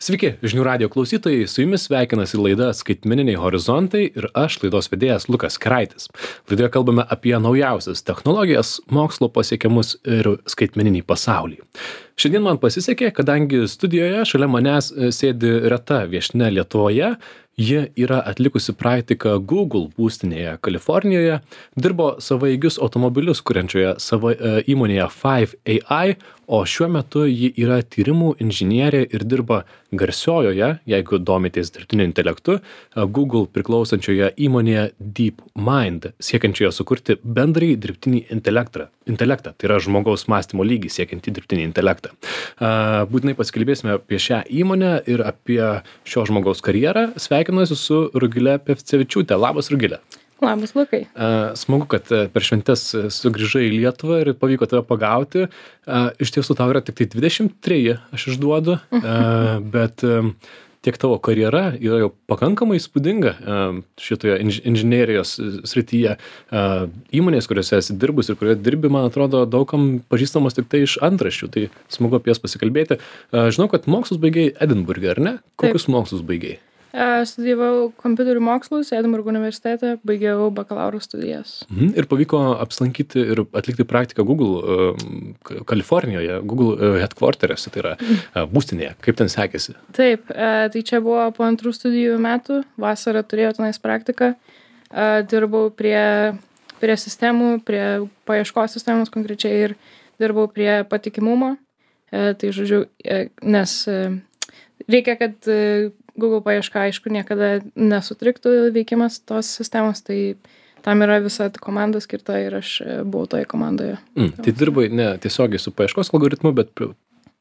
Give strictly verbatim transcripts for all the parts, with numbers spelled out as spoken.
Sveiki, žinių radio klausytojai, su jumis sveikinasi laida Skaitmeniniai horizontai ir aš, laidos vedėjas Lukas Keraitis. Laidoje kalbame apie naujausias technologijas, mokslo pasiekimus ir skaitmeninį pasaulį. Šiandien man pasisekė, kadangi studijoje šalia manęs sėdi reta viešnia Lietuvoje. Ji yra atlikusi praktiką Google būstinėje Kalifornijoje, dirbo savaigius automobilius kuriančioje savo e, įmonėje Five A I, o šiuo metu ji yra tyrimų inžinierė ir dirba garsiojoje, jeigu domitės dirbtiniu intelektu, Google priklausančioje įmonėje DeepMind, siekiančioje sukurti bendrai dirbtinį intelektą. intelektą. Tai yra žmogaus mąstymo lygį siekiantį dirbtinį intelektą. Būtinai pasikalbėsime apie šią įmonę ir apie šio žmogaus karjerą. Sveikinuosi su Rugile Pevcevičiūte. Labas, Rugile. Labas, Lukai. Smagu, kad per šventes sugrįžai į Lietuvą ir pavyko tave pagauti. Iš tiesų tau yra tik tai dvidešimt treji, aš išduodu, bet tiek tavo karjera yra jau pakankamai įspūdinga šitoje inžinerijos srityje. Įmonės, kuriuose esi dirbus ir kurioje dirbi, man atrodo, daugam pažįstamos tik tai iš antraščių. Tai smagu apie jas pasikalbėti. Žinau, kad mokslus baigei Edinburge, ar ne? Kokius Taip. Mokslus baigei? Studijavau kompiuterių mokslus Edinburgo universitete, baigiau bakalauro studijas. Mhm. Ir pavyko apsilankyti ir atlikti praktiką Google uh, Kalifornijoje, Google uh, headquarter'e, tai yra uh, būstinėje. Kaip ten sekėsi? Taip, uh, tai čia buvo po antrų studijų metų, vasarą turėjau tenais praktiką, uh, dirbau prie, prie sistemų, prie paieškos sistemos konkrečiai ir dirbau prie patikimumo. Uh, tai žodžiu, uh, nes uh, reikia, kad uh, Google paieška, aišku, niekada nesutriktų veikimas tos sistemos, tai tam yra visa komanda skirta ir aš buvau toje komandoje. Mm, tai dirbai ne tiesiogiai su paieškos algoritmu, bet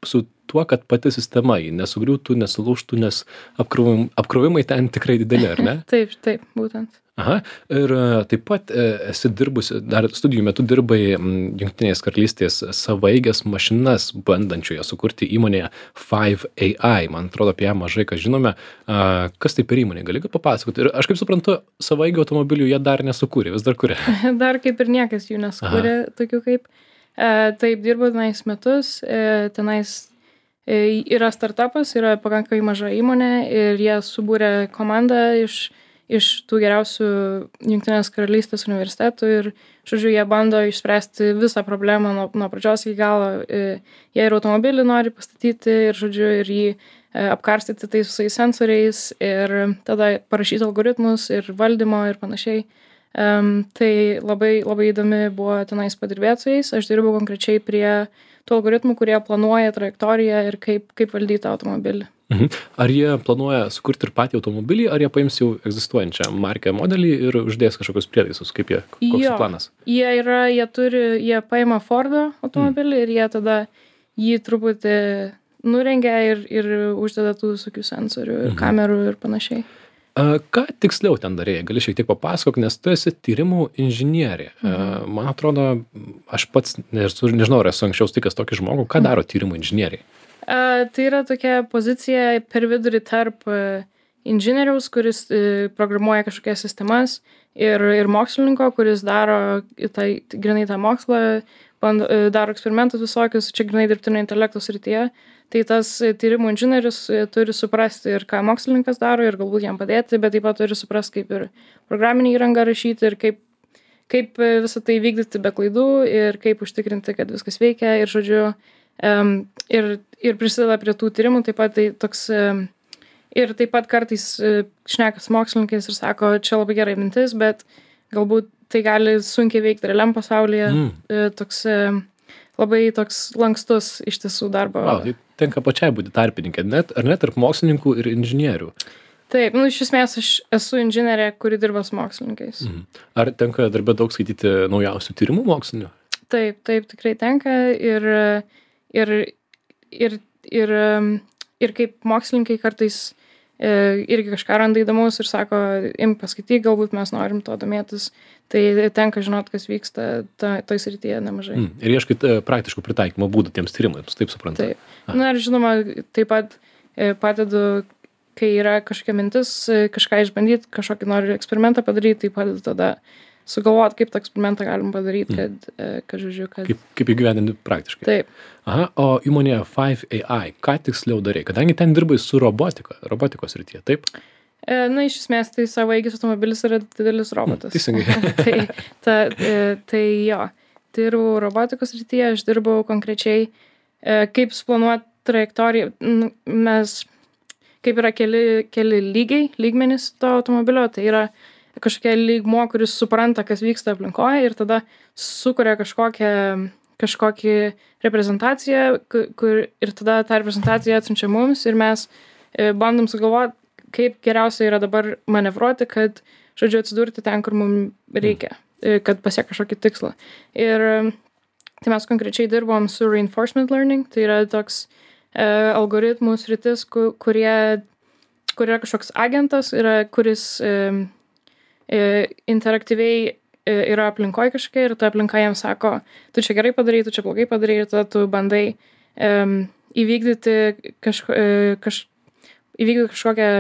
su tuo, kad pati sistema jį nesugriūtų, nesulūžtų, nes apkrovimai, apkrovimai ten tikrai dideli, ar ne? Taip, taip, būtent. Aha, ir taip pat esi dirbusi, dar studijų metu dirbai Jungtinės karalystės savaeigės mašinas bandančioje sukurti įmonėje Five A I. Man atrodo, apie ją mažai ką žinome. Kas tai per įmonė? Gali papasakoti? Ir aš kaip suprantu, savaigių automobilių jie dar nesukūrė, vis dar kuria. Dar kaip ir niekas jų nesukūrė, tokių kaip. Taip, dirbu tenais metus, tenais yra startupas, yra pakankamai maža įmonė ir jie subūrė komandą iš iš tų geriausių Jungtinės karalystės universitetų ir, žodžiu, jie bando išspręsti visą problemą nuo, nuo pradžios iki galo. Jie ir automobilį nori pastatyti ir, žodžiu, ir jį apkarstyti tais visais sensoriais ir tada parašyti algoritmus ir valdymo ir panašiai. Um, tai labai, labai įdomi buvo tenais padirbėti su jais. Aš dirbau konkrečiai prie tų algoritmų, kurie planuoja trajektoriją ir kaip, kaip valdyti automobilį. Mhm. Ar jie planuoja sukurti ir patį automobilį, ar jie paims jau egzistuojančią markę modelį ir uždės kažkokius prietaisus, kaip jie, koks jo, planas? Jie yra, jie turi, jie paima Fordo automobilį mm. ir jie tada jį truputį nurengia ir, ir uždeda tų visokių sensorių ir mhm. kamerų ir panašiai. A, ką tiksliau ten darėjai? Gali šiek tiek papasakok, nes tu esi tyrimų inžinierė. Mhm. A, man atrodo, aš pats nežinau, ar esu anksčiau sutikęs tokį žmogų, ką daro tyrimų inžinieriai? Uh, tai yra tokia pozicija per vidurį tarp uh, inžinieriaus, kuris uh, programuoja kažkokias sistemas ir, ir mokslininko, kuris daro tai, grinai tą mokslą, bando, uh, daro eksperimentus visokius, čia grinai dirbtinio intelekto srityje. Tai tas uh, tyrimų inžinierius uh, turi suprasti ir ką mokslininkas daro ir galbūt jam padėti, bet taip pat turi suprasti, kaip ir programinį įrangą rašyti ir kaip, kaip uh, visą tai vykdyti be klaidų ir kaip užtikrinti, kad viskas veikia ir, žodžiu, um, ir ir prisideda prie tų tyrimų, taip pat tai toks, ir taip pat kartais šnekas mokslininkais ir sako, čia labai gerai mintis, bet galbūt tai gali sunkiai veikti realiam pasaulyje, mm. toks labai toks lankstus iš tiesų darbo. Wow, tai tenka pačiai būti tarpininkė, net, ar net tarp mokslininkų ir inžinierių? Taip, nu iš esmės aš esu inžinierė, kuri dirba su mokslininkais. Mm. Ar tenka darbė daug skaityti naujausių tyrimų mokslinių? Taip, taip, tikrai tenka ir, ir Ir, ir, ir kaip mokslininkai kartais e, irgi kažką randa įdomus ir sako, im paskaityk, galbūt mes norim to domėtis, tai tenka žinot, kas vyksta ta, toj srityje nemažai. Mm. Ir ieškait e, praktiškų pritaikymo būdų tiems tyrimams, taip suprantu? Taip. Na ir žinoma, taip pat e, padedu, kai yra kažkokia mintis, e, kažką išbandyti, kažkokį noriu eksperimentą padaryti, tai padedu tada sugalvot, kaip tą eksperimentą galim padaryti, kad, mm. kad žodžiu, kad... Kaip, kaip įgyvendinti praktiškai. Taip. Aha, o įmonėje five A I, ką tiksliau darai? Kadangi ten dirbai su robotika, robotikos rytyje, taip? Na, iš esmės, tai savaeigis automobilis yra didelis robotas. Teisingai. tai, ta, tai jo, dirbau robotikos rytyje, aš dirbau konkrečiai, kaip suplanuoti trajektoriją. Mes, kaip yra keli, keli lygiai, lygmenys to automobilio, tai yra kažkokia lygmuo, kuris supranta, kas vyksta aplinkoje ir tada sukuria kažkokią, kažkokį reprezentaciją, kur ir tada tą reprezentaciją atsiunčia mums ir mes bandom sugalvoti, kaip geriausia yra dabar manevruoti, kad, žodžiu, atsidurti ten, kur mums reikia, kad pasiek kažkokį tikslą. Ir tai mes konkrečiai dirbom su reinforcement learning, tai yra toks e, algoritmų sritis, kurie, kur yra kažkoks agentas, yra, kuris e, e, interaktyviai yra aplinkoje kažkokia ir ta aplinka jam sako, tu čia gerai padarai, tu čia blogai padarai ir tada tu bandai um, įvykdyti, kažko, kaž, įvykdyti kažkokią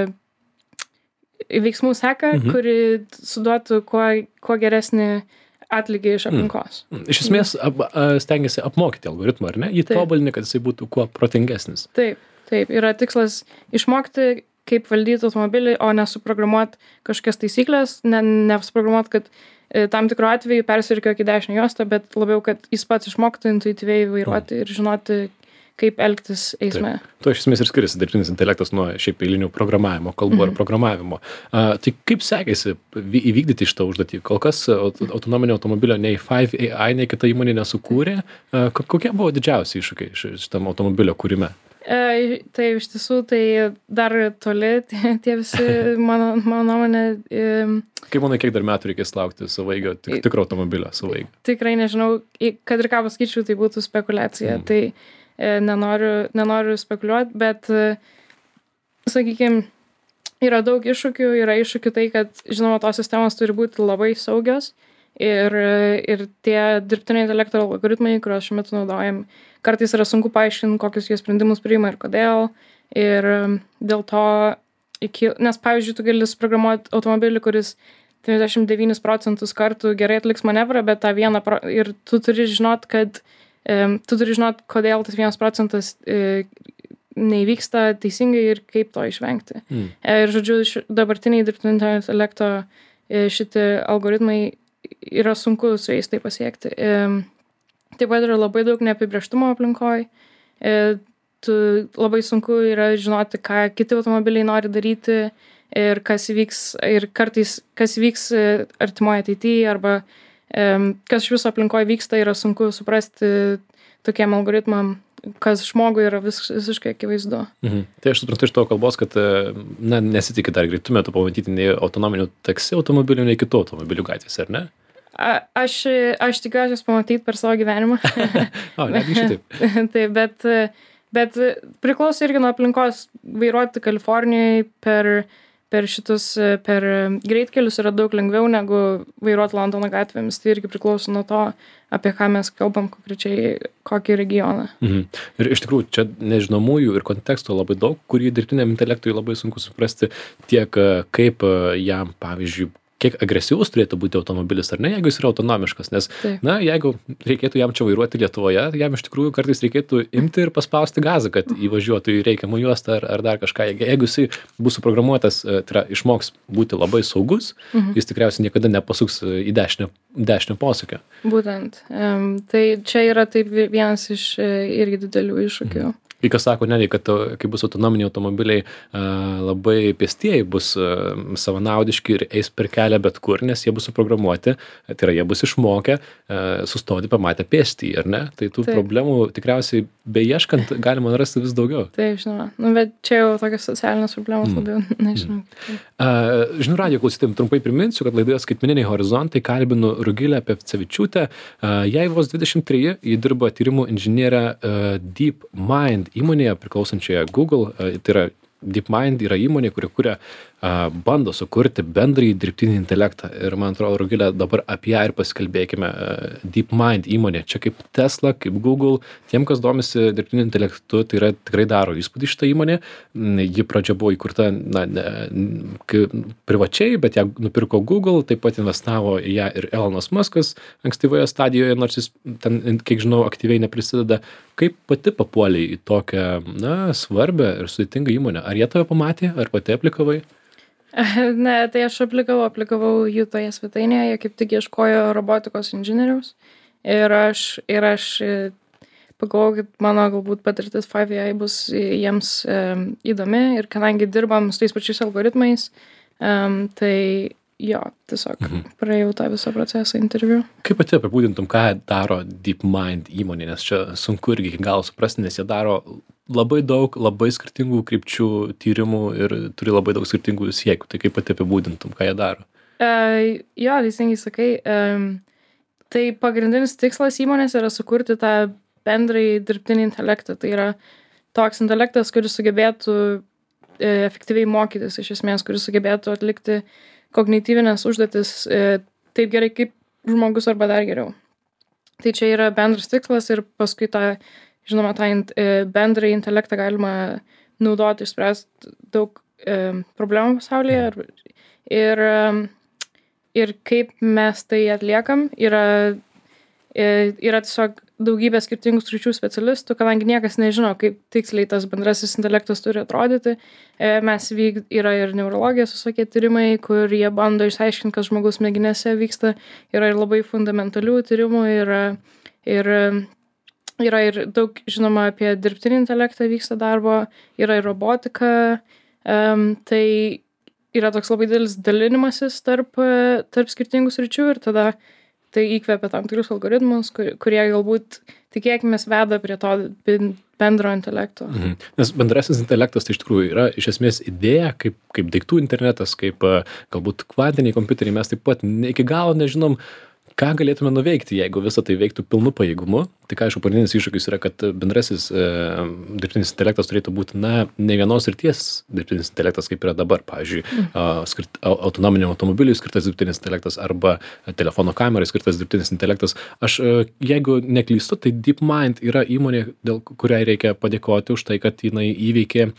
veiksmų seką, mhm. kuri suduotų kuo, kuo geresnį atlygį iš aplinkos. Mm. Iš esmės ap, stengiasi apmokyti algoritmą, ar ne? Jį tobulinti, kad jisai būtų kuo protingesnis. Taip, taip. Yra tikslas išmokti, kaip valdyti automobilį, o nesuprogramuoti kažkokias taisyklės, ne, nesuprogramuoti, kad tam tikru atveju persirikio į dešinę juostą, bet labiau, kad jis pats išmoktų intuityviai vairuoti mm. ir žinoti, kaip elgtis eisme. Taip. Tuo iš esmės ir skiriasi dirbtinis intelektas nuo šiaip eilinių programavimo, kalbų mm. ar programavimo. Uh, tai kaip sekėsi įvykdyti šitą užduotį? Kol kas autonominio automobilio nei five A I, nei kita įmonė nesukūrė. Uh, kokie buvo didžiausi iššūkiai šitam automobilio kūrime? E, tai iš tiesų, tai dar toli tie, tie visi, mano, mano nuomonė. E, Kaip manai, kiek dar metų reikės laukti savaeigio, tik, tikro automobilio savaeigio? Tikrai nežinau, kad ir ką pasakyčiau, tai būtų spekulacija. Mm. Tai e, nenoriu, nenoriu spekuliuoti, bet, e, sakykime, yra daug iššūkių, yra iššūkių tai, kad, žinoma, tos sistemos turi būti labai saugios ir, ir tie dirbtinio intelekto algoritmai, kuriuos šiuo metu naudojam, kartais yra sunku paaiškinti, kokius jie sprendimus priima ir kodėl. Ir dėl to, iki, nes pavyzdžiui, tu gali suprogramuoti automobilį, kuris devyniasdešimt devynis procentus kartų gerai atliks manevrą, bet tą vieną, pro, ir tu turi žinot, kad, um, tu turi žinot, kodėl tas vienas procentas uh, neįvyksta teisingai ir kaip to išvengti. Mm. Ir žodžiu, š, dabartiniai dirbtinio intelekto uh, šitie algoritmai yra sunku su jais tai pasiekti. Um, Taip pat yra labai daug neapibrėžtumo aplinkoje. Tu labai sunku yra žinoti, ką kiti automobiliai nori daryti ir kas įvyks, ir kartais kas įvyks artimoje ateityje arba kas iš viso aplinkoje vyksta, yra sunku suprasti tokiem algoritmam, kas žmogui yra vis, visiškai akivaizdu. Mhm. Tai aš suprantu iš tavo kalbos, kad na, nesitikit dar greitų metų pamatyti nei autonominių taksi automobilių, nei kitų automobilių gatvėse, ar ne? A, aš, aš tikiuosi jas pamatyti per savo gyvenimą. O, netgi šitaip. Taip, bet, bet priklauso irgi nuo aplinkos. Vairuoti Kalifornijoje per, per šitus, per greitkelius yra daug lengviau negu vairuoti Londono gatvėmis. Tai irgi priklauso nuo to, apie ką mes kalbam konkrečiai, kokį regioną. Mhm. Ir iš tikrųjų, čia nežinomųjų ir konteksto labai daug, kurį dirbtiniam intelektui labai sunku suprasti tiek kaip jam, pavyzdžiui, kiek agresyvus turėtų būti automobilis, ar ne, jeigu jis yra autonomiškas, nes, Taip. na, jeigu reikėtų jam čia vairuoti Lietuvoje, jam iš tikrųjų kartais reikėtų imti ir paspausti gazą, kad įvažiuotų į reikiamą juostą ar, ar dar kažką. Jeigu jisai bus suprogramuotas, tai yra, išmoks būti labai saugus, mhm. jis tikriausiai niekada nepasuks į dešinę, dešinę posūkio. Būtent. Um, tai čia yra taip vienas iš irgi didelių iššūkių. Mhm. Kai kas sako, ne, kad kai bus autonominiai automobiliai, labai pėstieji bus savanaudiški ir eis per kelią bet kur, nes jie bus suprogramuoti, tai yra, jie bus išmokę sustoti pamatę pėstį, ar ne? Tai tų Taip. Problemų tikriausiai beieškant galima rasti vis daugiau. Taip, žinoma. Nu, bet čia jau tokios socialinės problemos mm. labiau, nežinau. Mm. Žinių radijo klausytojams trumpai priminsiu, kad laidoje Skaitmeniniai horizontai kalbinu Rugilę Pevcevičiūtę. Jai vos dvidešimt treji, ji dirba tyrimų inžinierę DeepMind įmonėje priklausančioje Google, tai yra DeepMind yra įmonė, kuri kuria, a, bando sukurti bendrąjį dirbtinį intelektą. Ir man atrodo, Rugilė, dabar apie ją ir pasikalbėkime. DeepMind įmonė, čia kaip Tesla, kaip Google, tiem, kas domisi dirbtiniu intelektu, tai yra tikrai daro įspūdį šitą įmonę. Ji pradžia buvo įkurta, na, ne, privačiai, bet ją nupirko Google, taip pat investavo į ją ir Elonas Muskas ankstyvoje stadijoje, nors jis ten, kiek žinau, aktyviai neprisideda. Kaip pati papuolei į tokią, na, svarbę ir sudėtingą įmonę? Ar jie tave pamatė, ar pati aplikavai? Ne, tai aš aplikavau, aplikavau jų toje svetainėje, jie kaip tik ieškojo robotikos inžinieriaus. Ir aš, ir aš pagalvojau, kad mano galbūt patirtis five A I bus jiems um, įdomi. Ir kadangi dirbam su tais pačiais algoritmais, um, tai jo, tiesiog mhm. praėjau tą visą procesą interviu. Kaip pati apibūdintum, ką daro DeepMind įmonė, nes čia sunku irgi iki galo suprasti, nes jie daro labai daug, labai skirtingų krypčių tyrimų ir turi labai daug skirtingų siekių. Tai kaip pati apibūdintum, ką jie daro? Uh, jo, teisingai sakai. Um, tai pagrindinis tikslas įmonės yra sukurti tą bendrąjį dirbtinį intelektą. Tai yra toks intelektas, kuris sugebėtų e, efektyviai mokytis, iš esmės, kuris sugebėtų atlikti kognityvinės užduotis e, taip gerai kaip žmogus arba dar geriau. Tai čia yra bendras tikslas ir paskui tą, žinoma, tą e, bendrąjį intelektą galima naudoti, išspręsti daug e, problemų pasaulyje. Ir, ir, ir kaip mes tai atliekam, yra, e, yra tiesiog daugybė skirtingų sričių specialistų, kadangi niekas nežino, kaip tiksliai tas bendrasis intelektas turi atrodyti. E, mes vyk, yra ir neurologijos visokie tyrimai, kur jie bando išsiaiškinti, kas žmogaus smegenėse vyksta. Yra ir labai fundamentalių tyrimų, yra ir, yra ir daug žinoma apie dirbtinį intelektą vyksta darbo, yra ir robotika. Um, tai yra toks labai didelis dalinimasis tarp, tarp skirtingų sričių ir tada tai įkvepia tam tikrus algoritmus, kur, kurie galbūt, tikėkimės, veda prie to bendro intelekto. Mhm. Nes bendrasis intelektas tai iš tikrųjų yra iš esmės idėja, kaip, kaip daiktų internetas, kaip galbūt kvantiniai kompiuteriai. Mes taip pat ne, iki galo nežinom, ką galėtume nuveikti, jeigu visą tai veiktų pilnu pajėgumu. Tai ką, aišku, pagrindinis iššūkis yra, kad bendrasis e, dirbtinis intelektas turėtų būti, na, ne vienos srities dirbtinis intelektas, kaip yra dabar. Pavyzdžiui, mm. a, skirt, autonominiam automobiliui skirtas dirbtinis intelektas arba telefono kamerai skirtas dirbtinis intelektas. Aš, a, jeigu neklystu, tai DeepMind yra įmonė, dėl kuriai reikia padėkoti už tai, kad jinai įveikė a,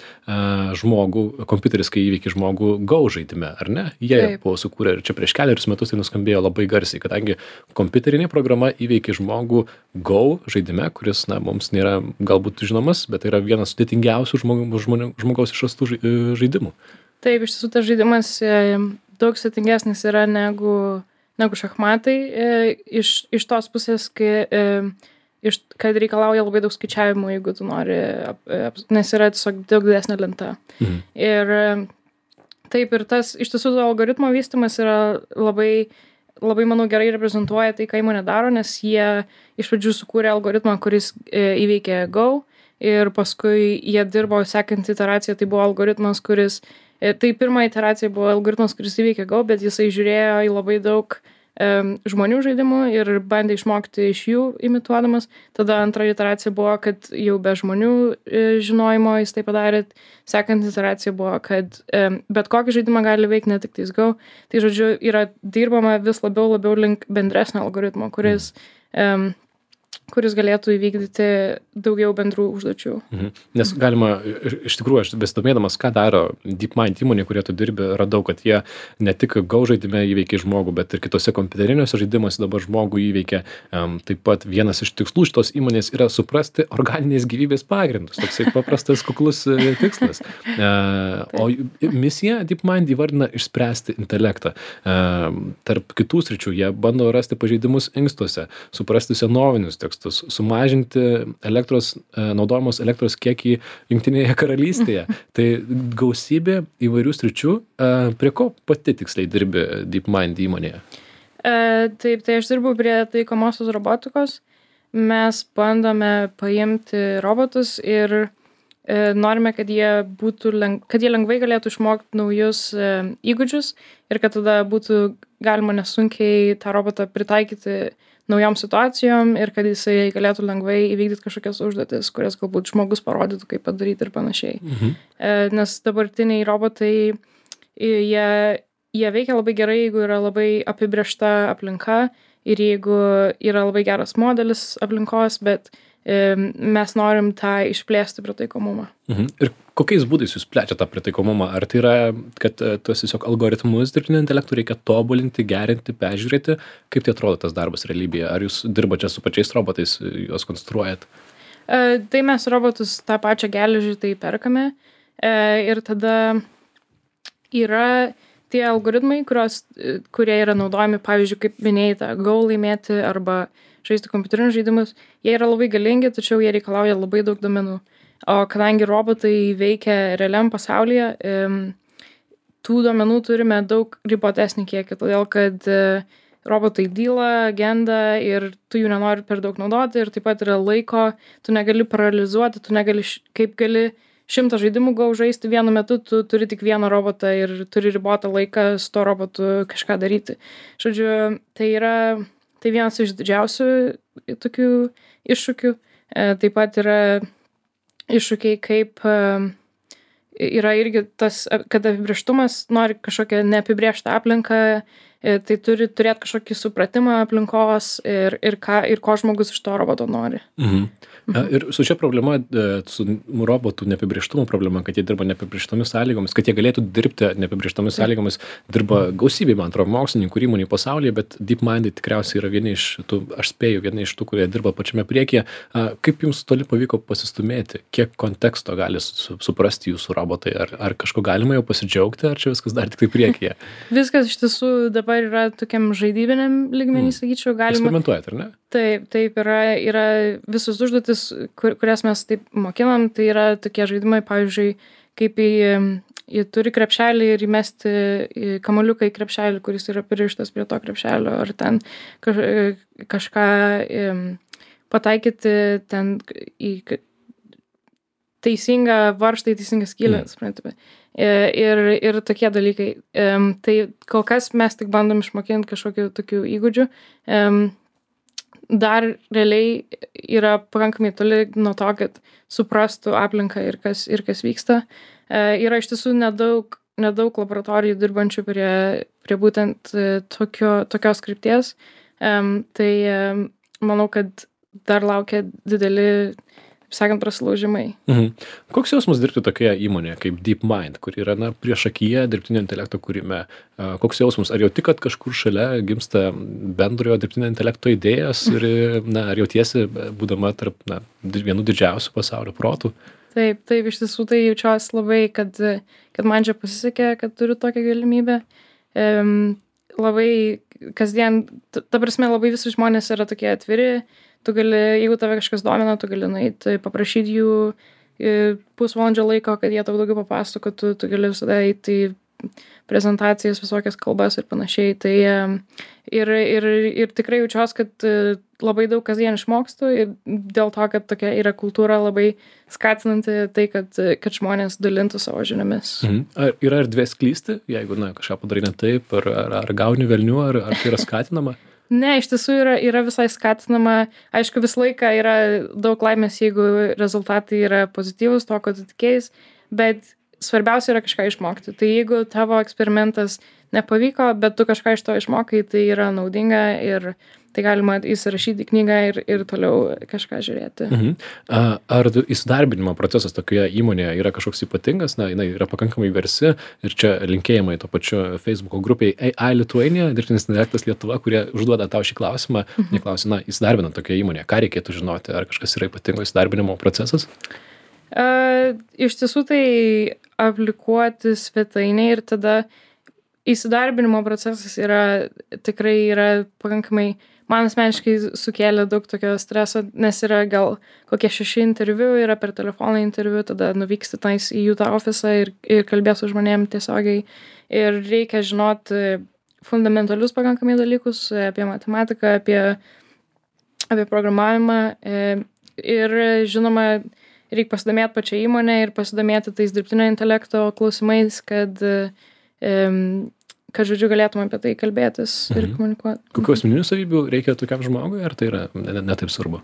žmogų, kompiuteris, kai įveikė žmogų Go žaidime, ar ne? Jie Taip. Buvo sukūrę ir čia prieš keliarius metus tai nuskambėjo labai garsiai, kadangi kompiuterinė programa įveikė žmogų Go žaidime, kuris, na, mums nėra galbūt žinomas, bet tai yra vienas sudėtingiausių žmog, žmonių, žmogaus išrastų žaidimų. Taip, iš tiesų tas žaidimas daug sudėtingesnis yra negu, negu šachmatai, iš, iš tos pusės, kai, iš, kad reikalauja labai daug skaičiavimų, jeigu tu nori, nes yra tiesiog daug didesnė lenta. Mhm. Ir taip, ir tas, iš tiesų, algoritmo vystymas yra labai labai, manau, gerai reprezentuoja tai, ką įmonė daro, nes jie iš pradžių sukūrė algoritmą, kuris e, įveikė Go ir paskui jie dirbo sekant iteraciją, tai buvo algoritmas, kuris, e, tai pirma iteracija buvo algoritmas, kuris įveikė Go, bet jisai žiūrėjo į labai daug e, žmonių žaidimų ir bandė išmokti iš jų imituodamas. Tada antra iteracija buvo, kad jau be žmonių e, žinojimo jis tai padarė. Sekant iteracija buvo, kad e, bet kokį žaidimą gali veikti, ne tik tais Go. Tai, žodžiu, yra dirbama vis labiau labiau link bendresnio algoritmo, kuris, e, kuris galėtų įvykdyti daugiau bendrų užduočių. Mhm. Nes galima, iš tikrųjų, aš besidomėdamas, ką daro DeepMind įmonė, kurie tu dirbi, radau, kad jie ne tik Go žaidime įveikia žmogų, bet ir kitose kompiuteriniuose žaidimuose dabar žmogų įveikia. Um, taip pat vienas iš tikslų šitos įmonės yra suprasti organinės gyvybės pagrindus. Toksai paprastas, kuklus tikslas. Uh, o misija DeepMind įvardina išspręsti intelektą. Uh, tarp kitų sričių jie bando rasti pažeidimus inkstuose, suprasti senovinius tekstus, sumažinti elektros, naudojamos elektros kiekį Jungtinėje karalystėje. Tai gausybė įvairių sričių. Prie ko pati tiksliai dirbi DeepMind įmonėje? E, taip, tai aš dirbu prie taikomosios robotikos. Mes bandome paimti robotus ir e, norime, kad jie, būtų leng... kad jie lengvai galėtų išmokti naujus e, įgūdžius ir kad tada būtų galima nesunkiai tą robotą pritaikyti naujom situacijom ir kad jisai galėtų lengvai įvykdyti kažkokias užduotis, kurias galbūt žmogus parodytų, kaip padaryti ir panašiai. Mhm. E, nes dabartiniai robotai, jie, jie veikia labai gerai, jeigu yra labai apibriešta aplinka ir jeigu yra labai geras modelis aplinkos, bet e, mes norim tą išplėsti pritaikomumą. Mhm. Ir kokiais būdais jūs plečiate tą pritaikomumą? Ar tai yra, kad e, tuos tiesiog algoritmus dirbtinio intelekto reikia tobulinti, gerinti, peržiūrėti? Kaip tai atrodo tas darbas realybėje? Ar jūs dirbate su pačiais robotais, juos konstruojat? E, tai mes robotus tą pačią geležį tai perkame e, ir tada yra tie algoritmai, kurios, kurie yra naudojami, pavyzdžiui, kaip minėjai, tą Go laimėti arba žaisti kompiuterinius žaidimus, jie yra labai galingi, tačiau jie reikalauja labai daug duomenų. O kadangi robotai veikia realiam pasaulyje, tų duomenų turime daug ribotesnį kiekį, todėl kad robotai dyla, genda ir tu jų nenori per daug naudoti ir taip pat yra laiko, tu negali paralizuoti, tu negali, kaip gali šimtą žaidimų Go žaisti vienu metu, tu turi tik vieną robotą ir turi ribotą laiką su to robotu kažką daryti. Žodžiu, tai yra tai vienas iš didžiausių tokių iššūkių. Taip pat yra iššūkiai, kaip yra irgi tas, kad apibrėžtumas nori kažkokią neapibrėžtą aplinką, tai turi turėti kažkokį supratimą aplinkos ir, ir, ką, ir ko žmogus iš to roboto nori. Mhm. Mhm. Ir su šia problema, su robotų neapibrėžtumo problema, kad jie dirba neapibrėžtomis sąlygomis, kad jie galėtų dirbti neapibrėžtomis sąlygomis, dirba gausybė, man atrodo, mokslininkų ir įmonių pasaulyje, bet DeepMind tikriausiai yra vieni iš tų, aš spėju, vieni iš tų, kurie dirba pačiame priekyje. Kaip jums toli pavyko pasistumėti? Kiek konteksto gali suprasti jūsų robotai? Ar, ar kažko galima jau pasidžiaugti, ar čia viskas dar tik tai priekyje? Viskas iš tiesų dabar yra tokiam žaidybiniam lygmenį, sakyčiau, galima. Eksperimentuojat, ar ne? Taip, taip yra, yra visus užduotis, kur, kurias mes taip mokinam, tai yra tokie žaidimai, pavyzdžiui, kaip į, į turi krepšelį ir įmesti į kamuoliuką į krepšelį, kuris yra pririštas prie to krepšelio, ar ten kaž, kažką pataikyti ten į teisingą varžtą, į teisingą skylę, mm. suprantame. Ir, ir tokie dalykai. Tai kol kas mes tik bandom išmokinti kažkokių tokių įgūdžių. Dar realiai yra pakankamai toli nuo to, kad suprastų aplinką ir kas, ir kas vyksta. Yra iš tiesų nedaug, nedaug laboratorijų dirbančių prie, prie būtent tokio, tokios krypties. Tai manau, kad dar laukia dideli, sakant, prasilaužimai. Mhm. Koks jausmas dirbti tokioje įmonėje kaip DeepMind, kur yra na, priešakyje dirbtinio intelekto kūrime? Koks jausmas? Ar jau tik, kad kažkur šalia gimsta bendrojo dirbtinio intelekto idėjas ir na, ar jautiesi, būdama tarp na, vienų didžiausių pasaulio protų? Taip, taip, iš tiesų tai jaučiuosi labai, kad, kad man čia pasisekė, kad turiu tokią galimybę. Um, labai kasdien, ta, ta prasme, labai visi žmonės yra tokie atviri. Tu gali, jeigu tave kažkas domina, tu gali nueiti, paprašyti jų pusvalandžio laiko, kad jie tau daugiau papasakotų, tu gali visada eiti į prezentacijas, visokias kalbas ir panašiai. Tai ir, ir, ir tikrai jaučiuosi, kad labai daug kasdien išmokstu ir dėl to, kad tokia yra kultūra labai skatinanti tai, kad, kad žmonės dalintų savo žiniomis. Mhm. Ar yra erdvės klysti, jeigu na, kažką padarai ne taip, ar, ar, ar gauni velnių, ar, ar tai yra skatinama? Ne, iš tiesų yra, yra visai skatinama. Aišku, visą laiką yra daug laimės, jeigu rezultatai yra pozityvus, to, ko tu tikėjais, bet svarbiausia yra kažką išmokti. Tai jeigu tavo eksperimentas nepavyko, bet tu kažką iš to išmokai, tai yra naudinga ir tai galima įsirašyti į knygą ir, ir toliau kažką žiūrėti. Mhm. Ar įsidarbinimo procesas tokioje įmonėje yra kažkoks ypatingas? Na, jinai yra pakankamai versi ir čia linkėjimai to pačiu Facebook'o grupiai A I Lithuania, dirbtinis intelektas Lietuva, kurie užduoda tau šį klausimą. Mhm. Jie klausia, na, įsidarbinant tokioje įmonėje, ką reikėtų žinoti? Ar kažkas yra ypatingo įsidarbinimo procesas? Uh, iš tiesų tai aplikuoti svetainę ir tada įsidarbinimo procesas yra tikrai yra pakankamai, man asmeniškai sukėlė daug tokio streso, nes yra gal kokie šeši interviu, yra per telefoną interviu, tada nuvyksti tais į jų tą ofisą ir, ir kalbės su žmonėm tiesiogiai. Ir reikia žinoti fundamentalius pakankamai dalykus apie matematiką, apie, apie programavimą. Ir žinoma, reik pasidomėti pačią įmonę ir pasidomėti tais dirbtinio intelekto klausimais, kad, kad žodžiu, galėtume apie tai kalbėtis ir Mhm. komunikuoti. Kokių asmeninių savybių reikia tokiam žmogui, ar tai yra ne, ne taip svarbu?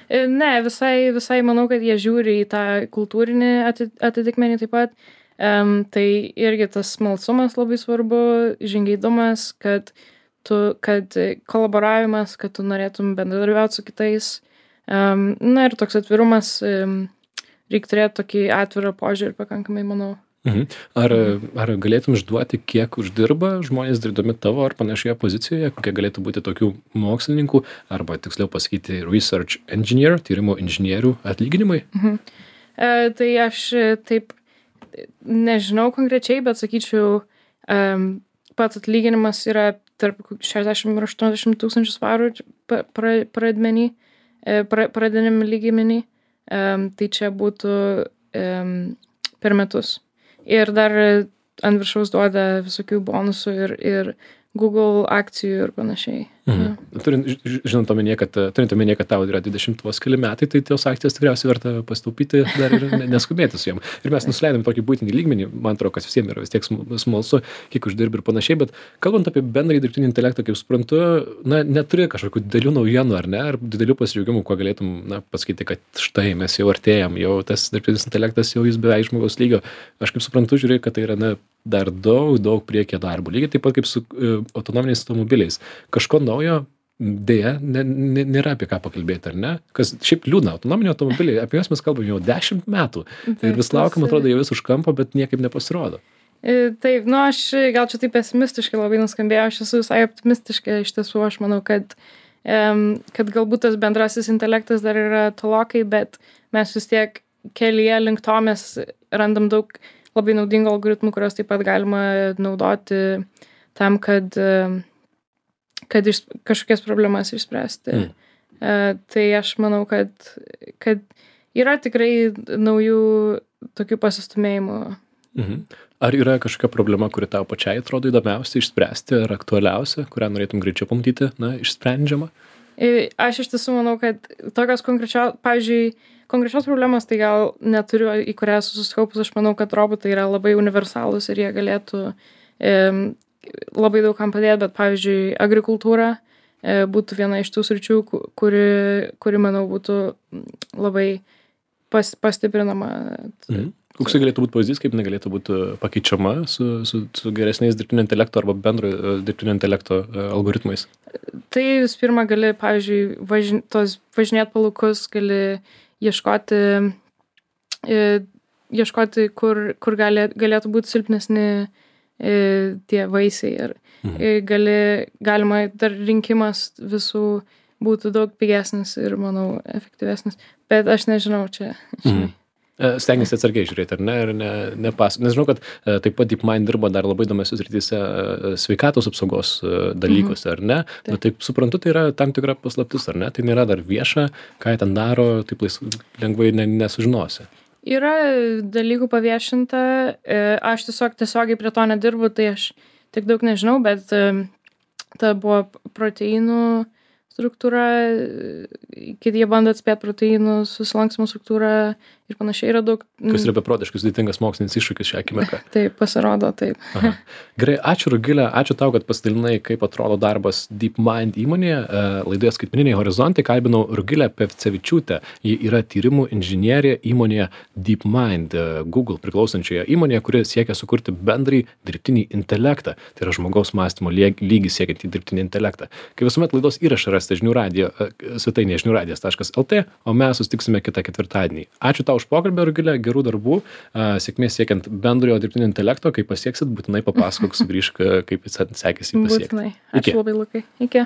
Ne, visai, visai manau, kad jie žiūri į tą kultūrinį ati- atitikmenį taip pat. Um, tai irgi tas smalsumas labai svarbu, žingeidumas, kad, tu, kad kolaboravimas, kad tu norėtum bendradarbiauti su kitais. Um, na ir toks atvirumas, um, reikia turėti tokį atvirą požiūrį pakankamai, manau. Mhm. Ar, ar galėtum išduoti, kiek uždirba žmonės dirbdami tavo ar panašioje pozicijoje, kokie galėtų būti tokių mokslininkų, arba tiksliau pasakyti research engineer, tyrimo inžinierių atlyginimai? Mhm. E, tai aš taip nežinau konkrečiai, bet sakyčiau, um, pats atlyginimas yra tarp šešiasdešimt ir aštuoniasdešimt tūkstančių svarų pra, pra, pradmenį, pra, pradiniam lygmenį. Um, tai čia būtų um, per metus. Ir dar ant viršaus duoda visokių bonusų ir, ir Google akcijų ir panašiai. Mhm. Turint, ž- žinant omenyje, kad, turint omenyje, kad tau yra dvidešimt vos keli metai, tai tos akcijas tikriausiai verta pastaupyti dar ir ne- neskubėti su jom. Ir mes nusileidom tokį būtinį lygmenį, man atrodo, kad visiems yra vis tiek sm- smalsu, kiek uždirbi ir panašiai, bet kalbant apie bendrąjį dirbtinį intelektą, kaip suprantu, na, neturi kažkokių didelių naujienų, ar ne, ar didelių pasidžiaugimų, kuo galėtum, na, pasakyti, kad štai mes jau artėjam, jau tas dirbtinis intelektas jau jis beveik žmogaus lygio. Aš kaip suprantu, žiūrėjau, kad tai yra, na, dar daug, daug priekyje darbo. Lygiai taip pat kaip su uh, autonominiais automobiliais. Kažko naujo, dėja, ne, ne, nėra apie ką pakalbėti, ar ne? Kas šiaip liūdna, autonominiai automobiliai, apie juos mes kalbame jau dešimt metų. Ir vis laukiam, atrodo, jau vis už kampo, bet niekaip nepasirodo. E, Taip, nu aš gal čia taip pesimistiškai labai nuskambėjau, aš esu visai optimistiška, iš tiesų aš manau, kad, em, kad galbūt tas bendrasis intelektas dar yra tolokai, bet mes vis tiek kelyje link to mes randam daug labai naudingų algoritmų, kurios taip pat galima naudoti tam, kad, em, kad iš, kažkokias problemas išspręsti. Mm. E, tai aš manau, kad, kad yra tikrai naujų tokių pasistumėjimų. Mhm. Ar yra kažkokia problema, kuri tau pačiai atrodo įdomiausia išspręsti, ar aktualiausia, kurią norėtum greičiau pamatyti, na, išsprendžiama? E, Aš iš tiesų manau, kad tokios konkrečios, pavyzdžiui, konkrečios problemos tai gal neturiu, į kurią esu susikaupus. Aš manau, kad robotai yra labai universalūs ir jie galėtų e, labai daug kam padėti, bet pavyzdžiui, agrikultūra e, būtų viena iš tų sričių, ku- kuri, kuri manau, būtų labai pas, pastiprinama. Mhm. Koks tai galėtų būti pavyzdys, kaip negalėtų būti pakeičiama su, su, su geresniais dirbtinio intelekto arba bendro e, dirbtinio intelekto e, algoritmais? Tai vis pirma gali, pavyzdžiui, važin, tos važinėt palaukus, gali ieškoti, e, ieškoti kur, kur gali, galėtų būti silpnesni e, tie vaisiai. Ir Mhm. e, gali, galima dar rinkimas visų būtų daug pigesnis ir, manau, efektyvesnis. Bet aš nežinau čia. Mhm. E, Stengiasi atsargiai žiūrėti, ar ne, ir ne, nepas. Nes žinau, kad e, taip pat DeepMind dirba dar labai įdomiose srityse e, sveikatos apsaugos e, dalykuose, ar ne? Taip. Bet taip suprantu, tai yra tam tikra paslaptis, ar ne? Tai nėra dar vieša, ką jie ten daro, taip lais, lengvai ne, nesužinosi. Yra dalykų paviešinta, e, aš tiesiog tiesiogiai prie to nedirbu, tai aš tiek daug nežinau, bet e, ta buvo proteinų struktūra, e, kiti jie bando atspėti proteinų susilankstymo struktūrą ir panašiai yra daug. Kas yra beprotiškai sudėtingas mokslinis iššūkis šią akimirką. Taip, pasirodo, taip. Aha. Gerai, ačiū Rugilė, ačiū tau, kad pasidalinai, kaip atrodo darbas DeepMind įmonėje. E, Laidoje Skaitmeniniai horizontai kalbinau Rugilę Pevcevičiūtę. Ji yra tyrimų inžinierė įmonėje DeepMind, e, Google priklausančioje įmonėje, kuri siekia sukurti bendrąjį dirbtinį intelektą. Tai yra žmogaus mąstymo lyg- lygį siekiantį dirbtinį intelektą. Kaip visuomet laidos įrašą rasite žinių radijo, e, svetainėje žinių radijas taškas lt, o mes susitiksime kitą ketvirtadienį. Ačiū tau už pokalbį, Rugilė, gerų darbų, a, sėkmės siekiant bendrojo dirbtinio intelekto, kai pasieksit, būtinai papasakok, sugrįžk, kaip jis sekėsi jį pasiekti. Būtinai. Iki. Ačiū labai, Lukai. Iki.